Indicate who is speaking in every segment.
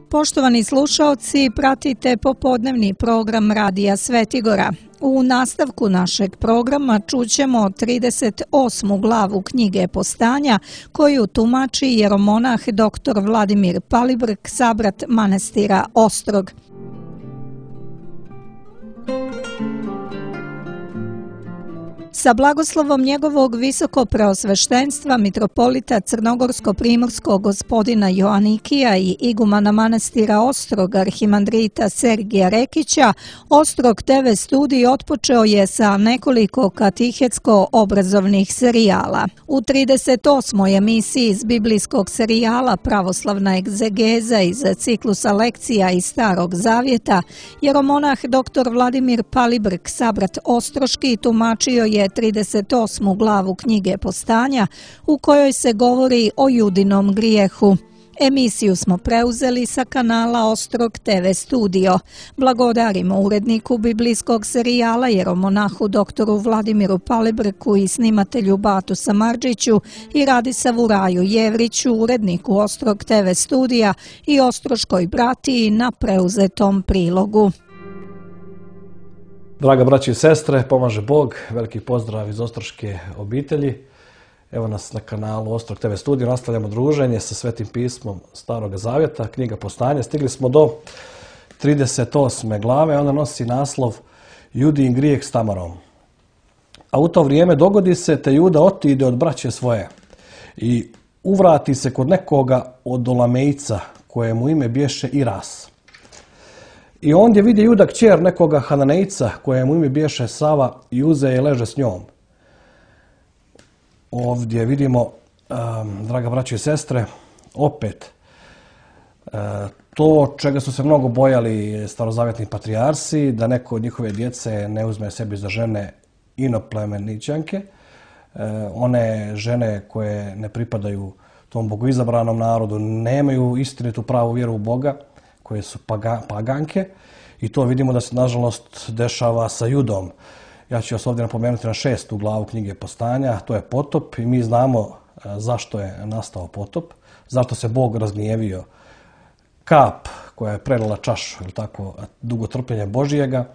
Speaker 1: Poštovani slušaoci, pratite popodnevni program Radija Svetigora. U nastavku našeg programa čućemo 38. glavu knjige Postanja koju tumači jeromonah dr. Vladimir Palibrk, sabrat manastira Ostrog. Sa blagoslovom njegovog visokopreosveštenstva mitropolita Crnogorsko-primorskog gospodina Joanikija i igumana manastira Ostrog arhimandrita Sergija Rekića, Ostrog TV studij otpočeo je sa nekoliko katehetsko-obrazovnih serijala. U 38. emisiji iz biblijskog serijala Pravoslavna egzegeza iz ciklusa lekcija iz Starog Zavjeta, jeromonah dr. Vladimir Palibrk, sabrat Ostroški, tumačio je 38. glavu knjige Postanja u kojoj se govori o judinom grijehu. Emisiju smo preuzeli sa kanala Ostrog TV studio. Blagodarimo uredniku biblijskog serijala jeromonahu dr. Vladimiru Palibrku i snimatelju Batu Samardžiću i Radisavu Raju Jevriću, uredniku Ostrog TV studija i Ostroškoj bratiji na preuzetom prilogu.
Speaker 2: Draga braći i sestre, pomaže Bog, veliki pozdrav iz Ostroške obitelji. Evo nas na kanalu Ostrog TV studio, nastavljamo druženje sa Svetim pismom Starog Zavjeta, knjiga Postanja. Stigli smo do 38. glave, ona nosi naslov Judin grijeh s Tamarom. A u to vrijeme dogodi se te Juda otide od braće svoje i uvrati se kod nekoga od Olamejca, kojemu ime bješe Iras. I ondje vidi Juda kćer nekoga Hananejca, kojemu ime bješe Sava, i uze je leže s njom. Ovdje vidimo, draga braće i sestre, opet to čega su se mnogo bojali starozavjetni patrijarsi, da neko od njihove djece ne uzme sebi za žene inoplemeničanke, one žene koje ne pripadaju tom bogoizabranom narodu, nemaju istinitu pravu vjeru u Boga, koje su paganke, i to vidimo da se nažalost dešava sa Judom. Ja ću vas ovdje napomenuti na 6. glavu knjige Postanja, to je potop, i mi znamo zašto je nastao potop, zašto se Bog razgnjevio. Kap koja je prelila čašu, ili tako, dugo trpljenja Božijega,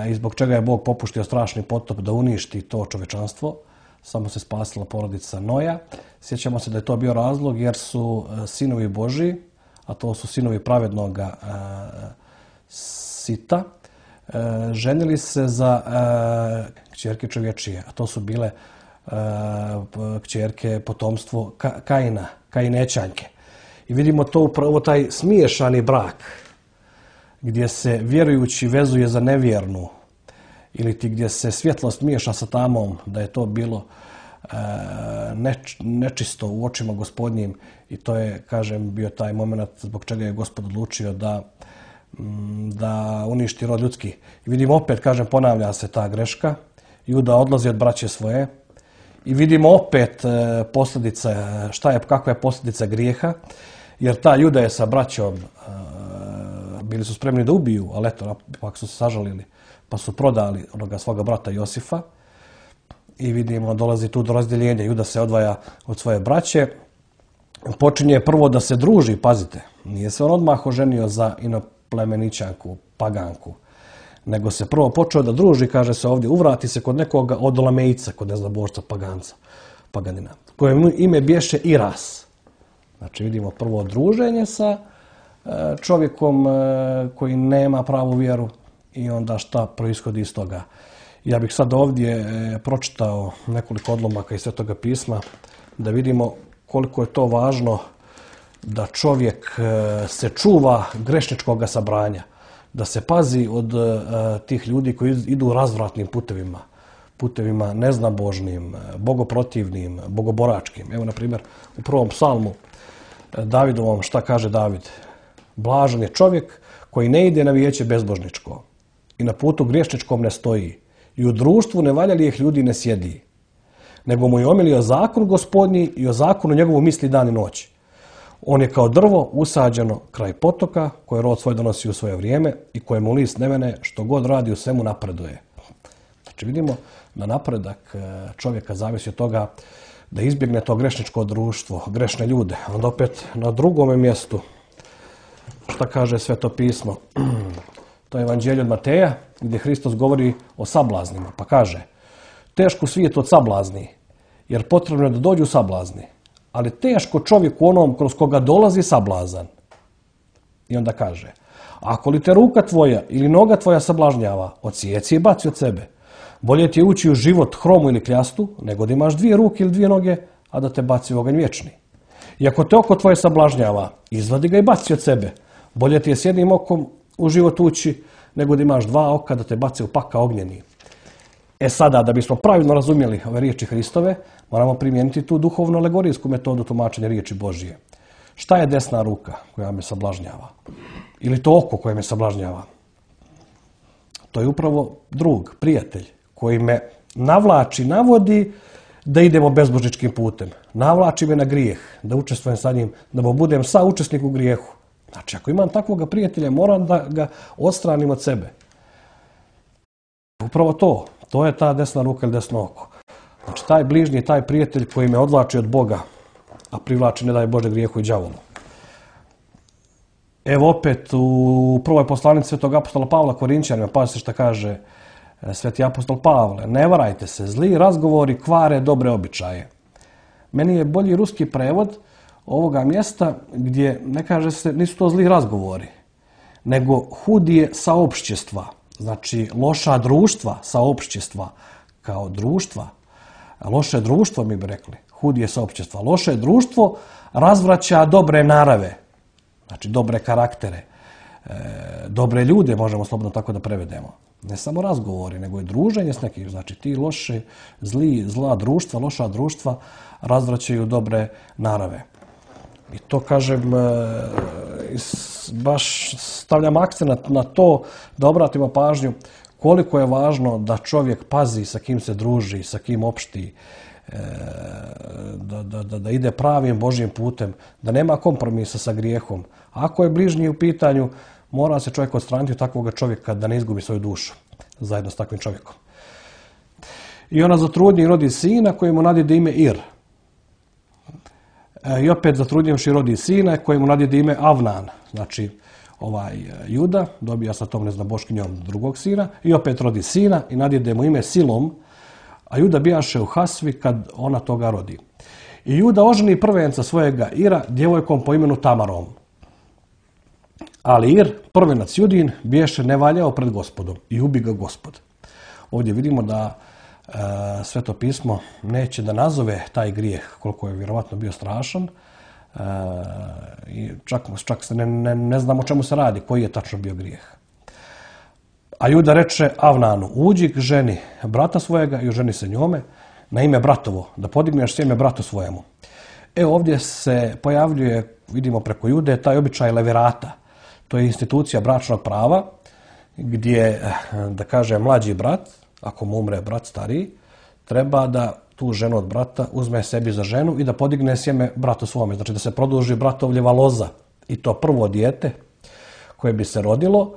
Speaker 2: i zbog čega je Bog popuštio strašni potop da uništi to čovečanstvo. Samo se spasila porodica Noja. Sjećamo se da je to bio razlog jer su sinovi Božiji, a to su sinovi pravednog Sita, ženili se za kćerke čovječije, a to su bile kćerke potomstvo Kaina, Kainećanke. I vidimo to upravo taj smiješani brak, gdje se vjerujući vezuje za nevjernu, ili ti gdje se svjetlost miješa sa tamom, da je to bilo nečisto u očima Gospodnjim, i to je, kažem, bio taj moment zbog čega je Gospod odlučio da uništi rod ljudski. I vidimo opet, kažem, ponavlja se ta greška. Juda odlazi od braće svoje i vidimo opet posljedice, kakva je posljedica grijeha, jer ta Juda je sa braćom bili su spremni da ubiju, ali eto, pak su se sažalili, pa su prodali onoga svoga brata Josifa. I vidimo, dolazi tu do razdjeljenja. Juda se odvaja od svoje braće. Počinje prvo da se druži, pazite. Nije se on odmah oženio za inoplemeničanku, paganku. Nego se prvo počeo da druži, kaže se ovdje, uvrati se kod nekoga od Olamejca, kod neznabošca, paganina, kojem ime bješe Iras. Znači vidimo prvo druženje sa čovjekom koji nema pravu vjeru i onda šta proishodi iz toga. Ja bih sad ovdje pročitao nekoliko odlomaka iz Svetoga pisma da vidimo koliko je to važno da čovjek se čuva grešničkog sabranja, da se pazi od tih ljudi koji idu razvratnim putevima neznabožnim, bogoprotivnim, bogoboračkim. Evo, na primjer, u prvom psalmu Davidovom šta kaže David? Blažan je čovjek koji ne ide na vijeće bezbožničko i na putu griješničkom ne stoji i u društvu nevaljalijih ljudi ne sjedi, nego mu je omilio zakon Gospodnji i o zakonu njegovu misli dan i noć. On je kao drvo usađeno kraj potoka, koje rod svoj donosi u svoje vrijeme i kojemu list ne vene, što god radi u svemu napreduje. Znači vidimo da napredak čovjeka zavisi od toga da izbjegne to grešničko društvo, grešne ljude. Onda opet na drugome mjestu, šta kaže Sveto pismo? To je Evanđelje od Mateja, gdje Hristos govori o sablaznima. Pa kaže, teško svijet od sablazni, jer potrebno je da dođu sablazni. Ali teško čovjeku onom kroz koga dolazi sablazan. I onda kaže, ako li te ruka tvoja ili noga tvoja sablažnjava, odsijeci i baci od sebe. Bolje ti je ući u život hromu ili kljastu, nego da imaš 2 ruke ili 2 noge, a da te baci u oganj vječni. I ako te oko tvoje sablažnjava, izvadi ga i baci od sebe. Bolje ti je s jednim okom u život ući, nego da imaš 2 oka da te baci u pakao ognjeni. Sada, da bismo pravilno razumjeli ove riječi Hristove, moramo primijeniti tu duhovno alegorijsku metodu tumačenja riječi Božije. Šta je desna ruka koja me sablažnjava? Ili to oko koje me sablažnjava? To je upravo drug, prijatelj, koji me navlači, navodi da idemo bezbožničkim putem. Navlači me na grijeh, da učestvujem sa njim, da budem saučesnik u grijehu. Znači, ako imam takvog prijatelja, moram da ga odstranim od sebe. Upravo to je ta desna ruka ili desno oko. Znači, taj bližnji, taj prijatelj koji me odvlači od Boga, a privlači, ne daj Bože, grijehu i đavolu. Evo opet u prvoj poslanici svetog apostola Pavla Korinćanima, pazite šta kaže sveti apostol Pavle. Ne varajte se, zli razgovori kvare dobre običaje. Meni je bolji ruski prevod ovoga mjesta gdje ne kaže se, nisu to zli razgovori, nego hudije saopštjestva. Znači, loša društva, saopštjestva kao društva. Loše društvo, mi bi rekli, hudije saopštjestva. Loše društvo razvraća dobre narave, znači dobre karaktere, dobre ljude, možemo slobodno tako da prevedemo. Ne samo razgovori, nego i druženje s nekim. Znači, ti zla društva, loša društva razvraćaju dobre narave. I to, kažem, baš stavljam akcent na to da obratimo pažnju koliko je važno da čovjek pazi sa kim se druži, sa kim opšti, da ide pravim Božjim putem, da nema kompromisa sa grijehom. Ako je bližnji u pitanju, mora se čovjek odstraniti od takvog čovjeka da ne izgubi svoju dušu zajedno s takvim čovjekom. I ona zatrudnji i rodi sina kojemu nadjede ime Ir. I opet zatrudnjivši rodi sina kojemu nadjede ime Avnan. Znači, Juda dobija sa tom neznaboškinjom drugog sina i opet rodi sina i nadjede mu ime Silom, a Juda bijaše u Hasvi kad ona toga rodi. I Juda oženi prvenca svojega Ira djevojkom po imenu Tamarom. Ali Ir, prvenac Judin, biješe nevaljao pred Gospodom i ubi ga Gospod. Ovdje vidimo da Sveto pismo neće da nazove taj grijeh, koliko je vjerovatno bio strašan, i čak se ne znam o čemu se radi, koji je tačno bio grijeh. A Juda reče Avnanu, uđi k ženi brata svojega i oženi se njome na ime bratovo, da podigneš sjeme bratu svojemu. Ovdje se pojavljuje, vidimo preko Jude, taj običaj levirata. To je institucija bračnog prava, gdje, da kaže, mlađi brat, ako mu umre brat stariji, treba da tu ženu od brata uzme sebi za ženu i da podigne sjeme bratu svome. Znači da se produži bratovljeva loza. I to prvo dijete koje bi se rodilo,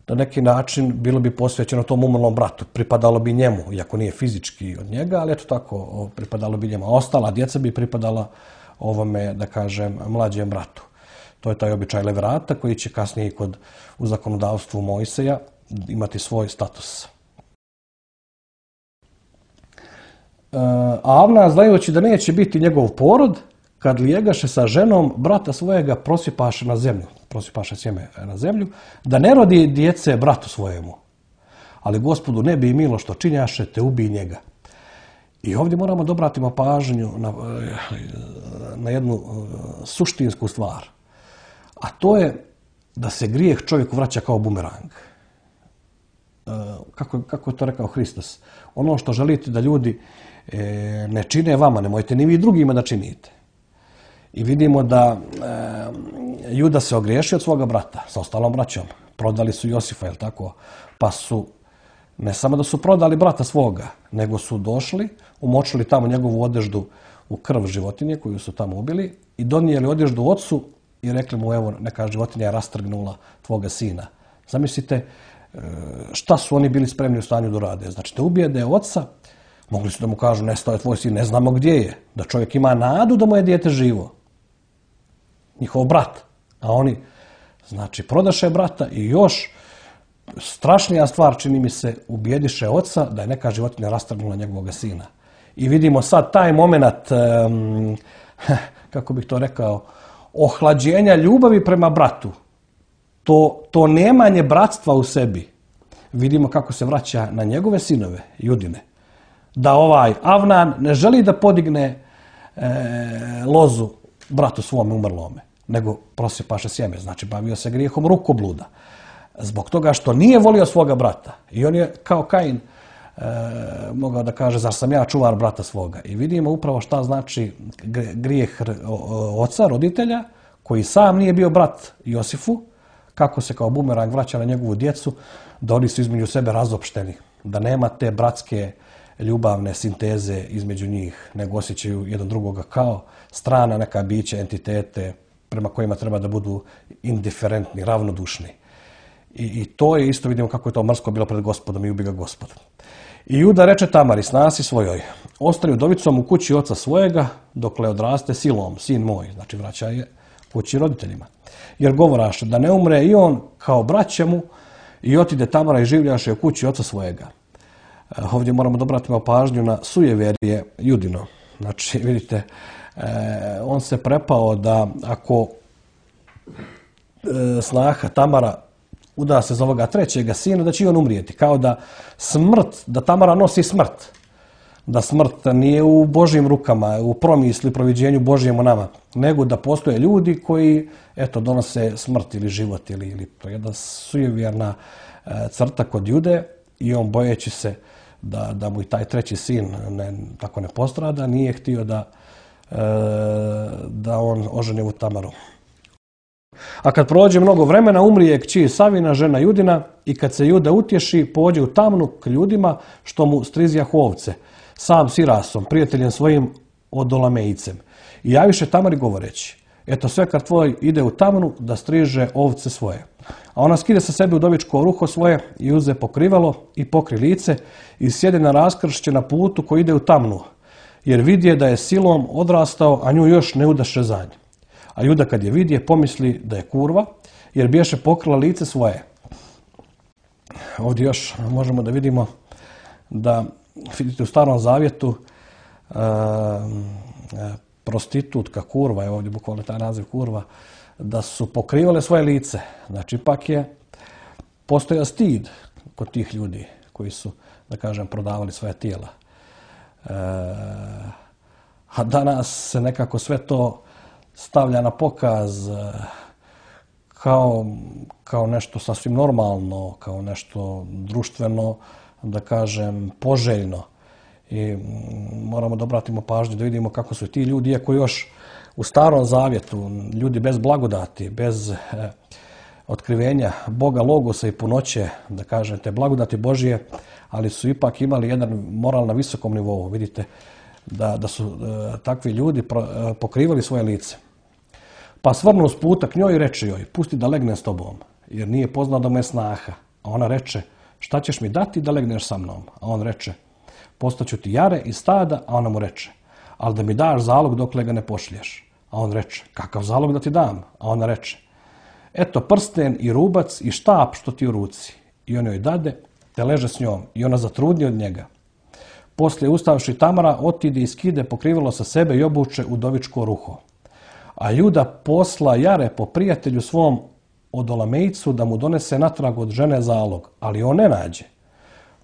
Speaker 2: na neki način bilo bi posvećeno tom umrlom bratu. Pripadalo bi njemu, iako nije fizički od njega, ali eto tako, pripadalo bi njemu. A ostala djeca bi pripadala ovome, da kažem, mlađem bratu. To je taj običaj levirata koji će kasnije u zakonodavstvu Mojseja imati svoj status. A Avnan, znajući da neće biti njegov porod, kad lijegaše sa ženom brata svojega, prosipaše na zemlju, prosipaše sjeme na zemlju, da ne rodi djece bratu svojemu. Ali Gospodu ne bi milo što činjaše, te ubij njega. I ovdje moramo da obratimo pažnju na jednu suštinsku stvar. A to je da se grijeh čovjeku vraća kao bumerang. Kako je to rekao Hristos? Ono što želite da ljudi ne čine vama, nemojte ni vi drugima da činite. I vidimo da Juda se ogriješio od svoga brata sa ostalom braćom. Prodali su Josifa, jel tako? Pa su, ne samo da su prodali brata svoga, nego su došli, umočili tamo njegovu odeždu u krv životinje koju su tamo ubili i donijeli odeždu ocu i rekli mu, evo, neka životinja je rastrgnula tvoga sina. Zamislite šta su oni bili spremni u stanju da rade. Znači da ubijede oca, Mogli su da mu kažu, nestao je tvoj sin, ne znamo gdje je. Da čovjek ima nadu da mu je dijete živo. Njihov brat. A oni, znači, prodaše brata i još strašnija stvar, čini mi se, ubijediše oca da je neka životinja rastrgnula njegovog sina. I vidimo sad taj moment, kako bih to rekao, ohlađenja ljubavi prema bratu. To nemanje bratstva u sebi. Vidimo kako se vraća na njegove sinove, Judine. Da ovaj Avnan ne želi da podigne lozu bratu svome umrlome, nego prosipaše sjeme, znači bavio se grijehom rukobluda. Zbog toga što nije volio svoga brata. I on je kao Kain mogao da kaže, zar sam ja čuvar brata svoga. I vidimo upravo šta znači grijeh oca, roditelja, koji sam nije bio brat Josifu, kako se kao bumerang vraća na njegovu djecu, da oni su između sebe razopšteni, da nema te bratske ljubavne sinteze između njih, nego osjećaju jedan drugoga kao strana neka bića, entitete prema kojima treba da budu indiferentni, ravnodušni. I to je isto, vidimo kako je to mrsko bilo pred Gospodom i ubi ga Gospod. I Juda reče Tamari, snasi svojoj, ostani udovicom u kući oca svojega, dokle odraste Silom, sin moj, znači vraća je kući roditeljima. Jer govoraše da ne umre i on kao braća mu i otide Tamara i življaše u kući oca svojega. Ovdje moramo da obratimo pažnju na sujeverje Judino. Znači, vidite, on se prepao da ako snaha Tamara uda se za ovoga trećega sina, da će i on umrijeti. Kao da da Tamara nosi smrt. Da smrt nije u Božjim rukama, u promisli, proviđenju Božjem o nama, nego da postoje ljudi koji, eto, donose smrt ili život, ili to je jedna sujevjerna crta kod Jude i on, bojeći se da mu i taj treći sin tako ne postrada, nije htio da on oženi ovu Tamaru. A kad prođe mnogo vremena, umrije kći Savina, žena Judina, i kad se Juda utješi, pođe u tamnu k ljudima što mu strizjahu ovce, sam Sirasom, prijateljem svojim Odolamejcem. I javiše Tamari govoreći, eto svekar tvoj ide u tamnu da striže ovce svoje. A ona skide sa sebe udovičko ruho svoje i uze pokrivalo i pokri lice i sjede na raskršće na putu koji ide u tamnu, jer vidje da je Silom odrastao, a nju još ne udaše za nje. A Juda kad je vidje, pomisli da je kurva, jer biješe pokrila lice svoje. Ovdje još možemo da vidimo da, vidite, u Starom Zavjetu prostitutka, kurva, je ovdje bukvalno taj naziv kurva, da su pokrivale svoje lice. Znači, ipak je postojao stid kod tih ljudi koji su, da kažem, prodavali svoje tijela. A danas se nekako sve to stavlja na pokaz kao nešto sasvim normalno, kao nešto društveno, da kažem, poželjno. I moramo da obratimo pažnju da vidimo kako su ti ljudi, iako još u Starom Zavjetu, ljudi bez blagodati, bez otkrivenja Boga, logosa i punoće, da kažem, te blagodati Božije, ali su ipak imali jedan moral na visokom nivou. Vidite da su takvi ljudi pokrivali svoje lice. Pa svrnu s puta k njoj i reče joj, pusti da legnem s tobom, jer nije poznao da mu je snaha. A ona reče, šta ćeš mi dati da legneš sa mnom? A on reče, postaću ti jare i stada, a ona mu reče, ali da mi daš zalog dokle ga ne pošlješ. A on reče, kakav zalog da ti dam? A ona reče, eto prsten i rubac i štap što ti u ruci. I on joj dade, te leže s njom i ona zatrudni od njega. Poslije ustavši Tamara, otide i skide pokrivalo sa sebe i obuče udovičko ruho. A Juda posla jare po prijatelju svom Odolamejcu da mu donese natrag od žene zalog, ali on ne nađe.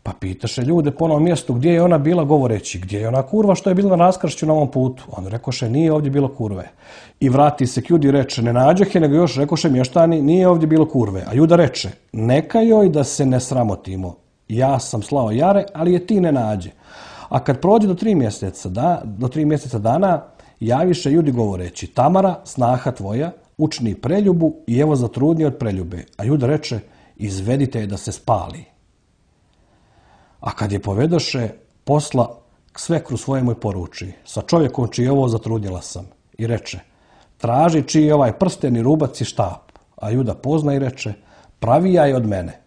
Speaker 2: Pa pitaše ljude po onom mjestu gdje je ona bila, govoreći, gdje je ona kurva što je bila na raskršću na ovom putu. On rekoše, nije ovdje bilo kurve. I vrati se k Judi i reče, ne nađeh je, nego još rekoše mještani, nije ovdje bilo kurve. A Juda reče, neka joj da se ne sramotimo. Ja sam slao jare, ali je ti ne nađe. A kad prođe do 3 mjeseca dana, javiše Judi govoreći, Tamara, snaha tvoja, učini preljubu i evo zatrudni od preljube. A Juda reče, izvedite je da se spali. A kad je povedoše, posla k svekru svojemu i poruči, sa čovjekom čiji ovo zatrudnjela sam. I reče, traži čiji je ovaj prsten i rubac i štap. A Juda pozna i reče, pravi ja je od mene.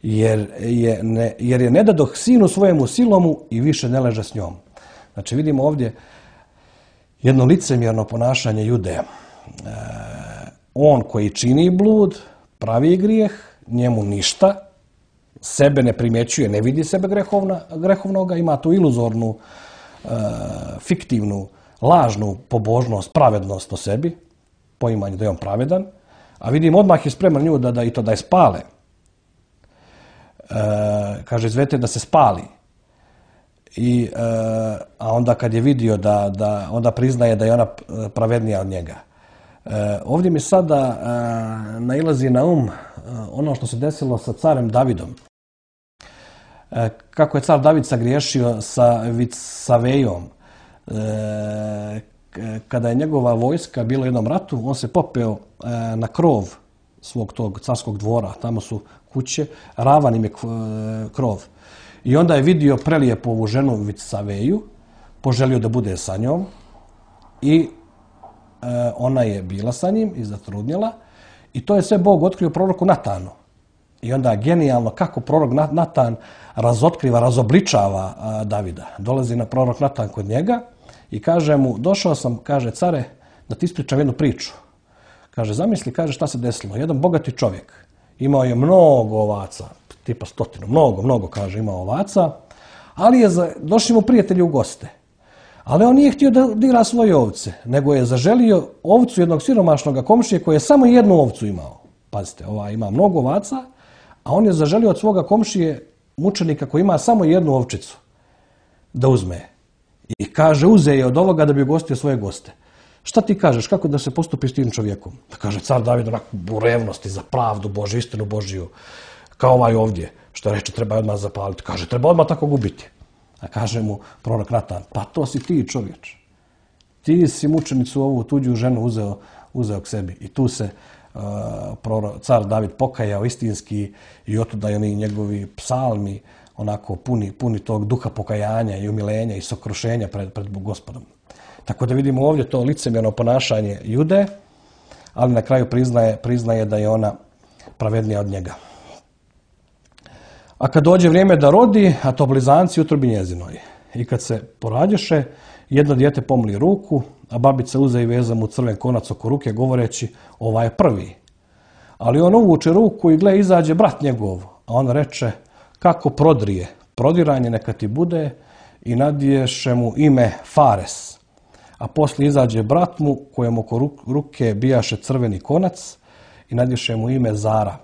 Speaker 2: jer je ne dadoh sinu svojemu silomu i više ne leže s njom. Znači vidimo ovdje jedno licemjerno ponašanje Jude. On koji čini blud, pravi grijeh, njemu ništa, sebe ne primjećuje, ne vidi sebe grehovnoga, ima tu iluzornu, fiktivnu, lažnu pobožnost, pravednost o sebi, poimanje da je on pravedan, a vidim odmah je spreman nju da je spale. Kaže, izvedite da se spali. A onda kad je vidio onda priznaje da je ona pravednija od njega. Ovdje mi sada nailazi na ono što se desilo sa carem Davidom. Kako je car David sagriješio sa Vicavejom. Kada je njegova vojska bila u jednom ratu, on se popeo na krov svog tog carskog dvora. Tamo su kuće, ravan im je krov. I onda je vidio prelijepu ovu ženu Vicaveju, poželio da bude sa njom i ona je bila sa njim i zatrudnjela i to je sve Bog otkrio proroku Natanu. I onda genijalno kako prorok Natan razotkriva, razobličava Davida. Dolazi na prorok Natan kod njega i kaže mu, došao sam, kaže, care, da ti ispričam jednu priču. Kaže, zamisli, kaže, šta se desilo. Jedan bogati čovjek imao je mnogo ovaca, tipa 100, mnogo, kaže, imao ovaca, ali došli mu prijatelji u goste. Ali on nije htio da dira svoje ovce, nego je zaželio ovcu jednog siromašnog komšije koji je samo jednu ovcu imao. Pazite, ima mnogo ovaca, a on je zaželio od svoga komšije mučenika koji ima samo jednu ovčicu da uzme. I kaže, uze je od ovoga da bi ugostio svoje goste. Šta ti kažeš, kako da se postupi s tim čovjekom? Da kaže car David onako u revnosti za pravdu Božju, istinu Božju, kao ovaj ovdje, što reče treba odmah zapaliti. Kaže, treba odmah tako gubiti. A kaže mu prorok Natan, pa to si ti čovječ. Ti si mučenicu ovu tuđu ženu uzeo k sebi. I tu se car David pokajao istinski i otuda i oni njegovi psalmi onako puni tog duha pokajanja i umilenja i sokrušenja pred Gospodom. Tako da vidimo ovdje to licemjerno ponašanje Jude, ali na kraju priznaje da je ona pravednija od njega. A kad dođe vrijeme da rodi, a to blizanci u utrobi njezinoj. I kad se porađeše, jedno dijete pomli ruku, a babica uze i veza mu crven konac oko ruke, govoreći, ovaj je prvi. Ali on uvuče ruku i gle, izađe brat njegov, a on reče, kako prodrije, prodiranje neka ti bude, i nadiješe mu ime Fares. A poslije izađe brat mu, kojem oko ruke bijaše crveni konac, i nadiješe mu ime Zara.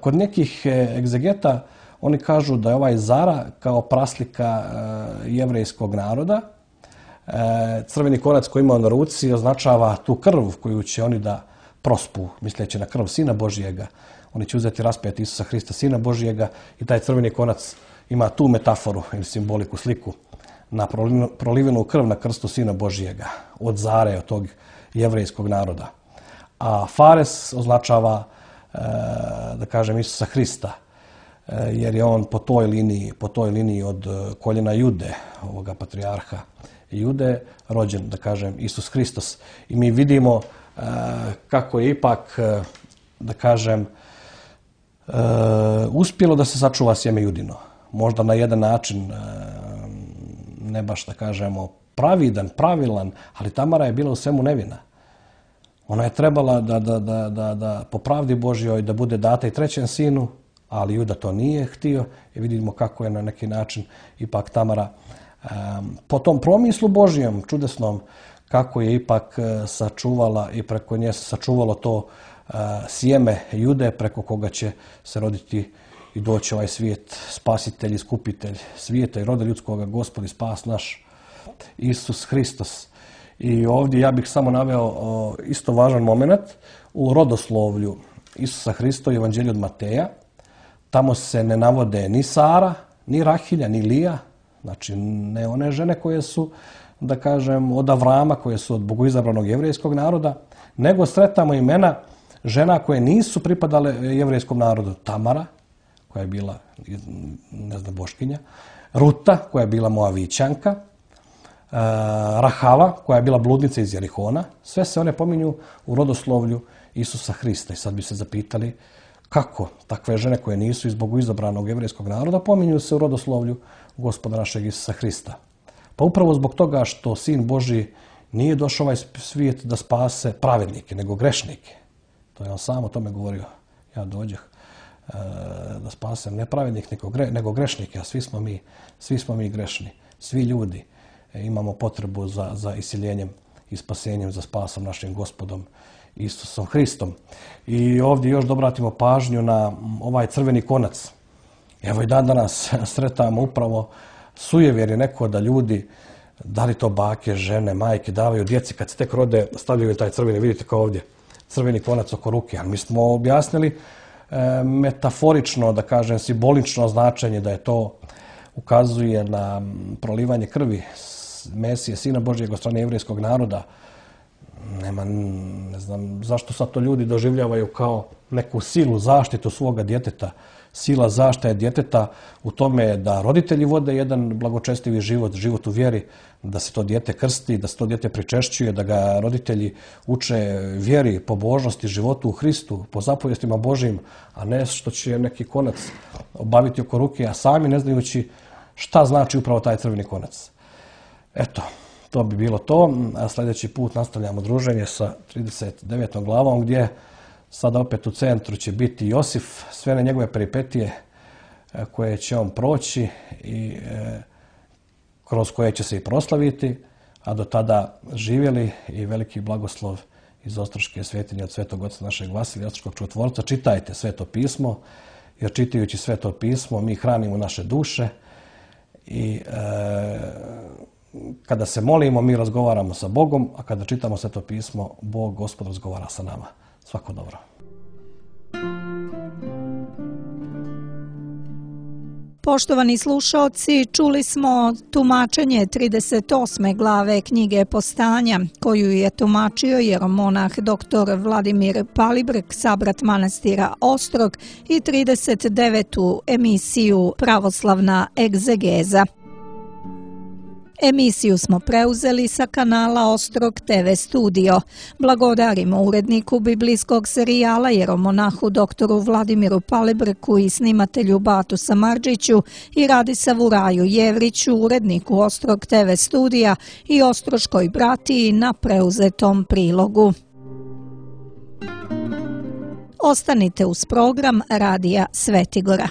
Speaker 2: Kod nekih egzegeta oni kažu da je ovaj Zara kao praslika jevrejskog naroda. Crveni konac koji ima na ruci označava tu krv koju će oni da prospu, misleći na krv Sina Božijega. Oni će uzeti raspet Isusa Hrista, Sina Božijega, i taj crveni konac ima tu metaforu ili simboliku, sliku na prolivenu krv na krstu Sina Božijega, od Zare, od tog jevrejskog naroda. A Fares označava, da kažem, Isusa Hrista, jer je on po toj liniji od koljena Jude, ovoga patrijarha Jude, rođen, da kažem, Isus Hristos. I mi vidimo kako je ipak, da kažem, uspjelo da se sačuva sjeme Judino. Možda na jedan način, ne baš da kažemo pravilan, ali Tamara je bila u svemu nevina. Ona je trebala da po pravdi Božjoj da bude data i trećem sinu, ali Juda to nije htio i vidimo kako je na neki način ipak Tamara po tom promislu Božjem, čudesnom, kako je ipak sačuvala i preko nje se sačuvalo to sjeme Jude preko koga će se roditi i doći ovaj svijet, spasitelj, iskupitelj svijeta i roda ljudskoga, Gospod i spas naš, Isus Hristos. I ovdje ja bih samo naveo isto važan moment u rodoslovlju Isusa Hrista u Evanđelju od Mateja. Tamo se ne navode ni Sara, ni Rahilja, ni Lija, znači ne one žene koje su, da kažem, od Avrama, koje su od bogoizabranog jevrejskog naroda, nego sretamo imena žena koje nisu pripadale jevrejskom narodu. Tamara, koja je bila, ne znam, boškinja, Ruta, koja je bila Moavićanka, Rahava, koja je bila bludnica iz Jerihona. Sve se one pominju u rodoslovlju Isusa Hrista. I sad bi se zapitali Kako takve žene koje nisu iz Bogu izabranog jevrejskog naroda pominju se u rodoslovlju Gospoda našeg Isusa Hrista? Pa upravo zbog toga što Sin Božji nije došao ovaj svijet da spase pravednike, nego grešnike. To je on sam o tome govorio. Ja dođeh da spasem ne pravednik, nego grešnike, a svi smo mi grešni. Svi ljudi imamo potrebu za isiljenjem i spasenjem, za spasom našim Gospodom Isusom Hristom. I ovdje još da obratimo pažnju na ovaj crveni konac. Evo i dan danas sretamo upravo sujevjer je neko da ljudi, da li to bake, žene, majke, davaju djeci kad se tek rode, stavljaju taj crveni, vidite kao ovdje, crveni konac oko ruke. Ali mi smo objasnili metaforično, da kažem, simbolično značenje da je to ukazuje na prolivanje krvi Mesije, Sina Božjeg od strane jevrejskog naroda. Ne znam zašto sad to ljudi doživljavaju kao neku silu, zaštitu svoga djeteta. Sila zaštite djeteta u tome da roditelji vode jedan blagočestivi život u vjeri, da se to dijete krsti, da se to dijete pričešćuje, da ga roditelji uče vjeri, pobožnosti, životu u Hristu, po zapovjestima Božjim, a ne što će neki konac obaviti oko ruke, a sami ne znajući šta znači upravo taj crveni konac. Eto, to bi bilo to. A sljedeći put nastavljamo druženje sa 39. glavom gdje sada opet u centru će biti Josif, sve na njegove peripetije koje će on proći i kroz koje će se i proslaviti, a do tada živjeli i veliki blagoslov iz Ostroške svetinje od Svetog Oca našeg Vasilija, Ostroškog čudotvorca. Čitajte Sveto pismo, jer čitajući Sveto pismo mi hranimo naše duše i kada se molimo mi razgovaramo sa Bogom, a kada čitamo Sveto pismo, Bog, Gospod, razgovara sa nama. Svako dobro.
Speaker 1: Poštovani slušaoci, čuli smo tumačenje 38. glave knjige Postanja, koju je tumačio jeromonah dr. Vladimir Palibrk, sabrat manastira Ostrog, i 39. emisiju Pravoslavna egzegeza. Emisiju smo preuzeli sa kanala Ostrog TV Studio. Blagodarimo uredniku biblijskog serijala jeromonahu doktoru Vladimiru Palibrku i snimatelju Batu Samardžiću i Radisavu Raju Jevriću, uredniku Ostrog TV Studija i Ostroškoj bratiji na preuzetom prilogu. Ostanite uz program Radija Svetigora.